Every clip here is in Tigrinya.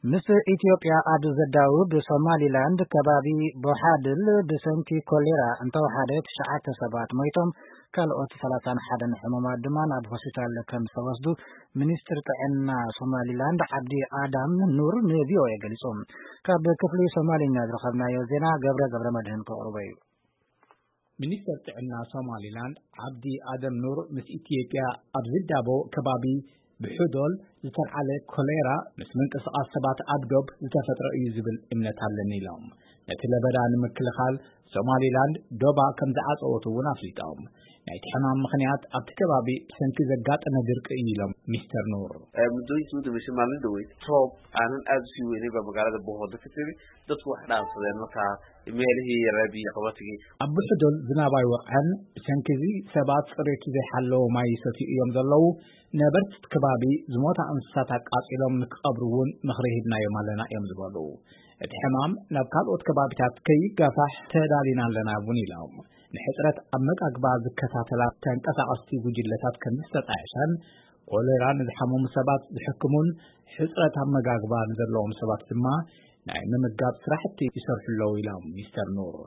ምስ ኢትዮጵያ ኣብ ዘዳውብ ሶማሊላንድ ከባቢ ቦሓድል ብሰንኪ ኮሌራ እንተወሓደ ትሽዓተ ሰባት ሞይቶም፣ ካልኦት ሰላሳን ሓደን ሕሙማት ድማ ናብ ሆስፒታል ከም ዝተወስዱ ሚኒስትር ጥዕና ሶማሊላንድ ዓብዲ ኣዳም ኑር ንቪኦኤ ገሊጹ። ካብ ክፍሊ ሶማሊኛ ዝረኸብናዮ ዜና ገብረ ገብረ መድህን ከቕርቦ እዩ። ሚኒስተር ጥዕና ሶማሊላንድ ዓብዲ ኣደም ኑር ምስ ኢትዮጵያ ኣብ ዝዳቦ ከባቢ ብሑዶል ዝተልዓለ ኮሌራ ምስ ምንቅስቓስ ሰባት ኣብ ዶብ ዝተፈጥረ እዩ ዝብል እምነት ኣለኒ ኢሎም። ነቲ ለበዳ ንምክልኻል ሶማሊላንድ ዶባ ከም ዝዓጸወት እውን ኣፍሊጦም። ናይቲ ሕማም ምኽንያት ኣብቲ ከባቢ ብሰንኪ ዘጋጠመ ድርቂ እዩ ኢሎም ሚስተር ኑር። Muddooyinkii u dambeysay maalin dhaweyd roob aanan aad u sii weynin baa magaalada Bohodo ka timi. Dadku wax dhaansadeen markaa meelihii reebii qabatigii. ኣብ ብሕዶል ዝናብ ኣይወቕዐን። ብሰንኪ እዚ ሰባት ጽሬቱ ዘይሓለዎ ማይ ይሰትዩ እዮም ዘለዉ። ነበርቲ እቲ ከባቢ ዝሞታ እንስሳት ኣቃጺሎም ንክቐብሩ እውን ምኽሪ ሂብናዮም ኣለና እዮም ዝበሉ። እቲ ሕማም ናብ ካልኦት ከባቢታት ከይጋፋሕ ተዳሊና ኣለና እውን ኢሎም። ንሕጽረት ኣመጋግባ ዝከታተላ ተንቀሳቐስቲ ጉጅለታት ከም ዝተጣየሸን ኮሌራ ንዝሓመሙ ሰባት ዝሕክሙን ሕጽረት ኣመጋግባ ንዘለዎም ሰባት ድማ ናይ ምምጋብ ስራሕቲ ይሰርሑ ኣለዉ ኢሎም ሚስተር ኑር።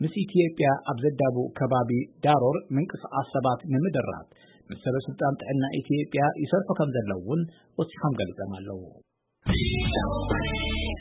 ምስ ኢትዮጵያ ኣብ ዘዳቡ ከባቢ ዳሮር ምንቅስቓስ ሰባት ንምድራት ምስ ሰበ ስልጣን ጥዕና ኢትዮጵያ ይሰርሑ ከም ዘለዉ እውን ወሲኾም ገሊጾም ኣለዉ።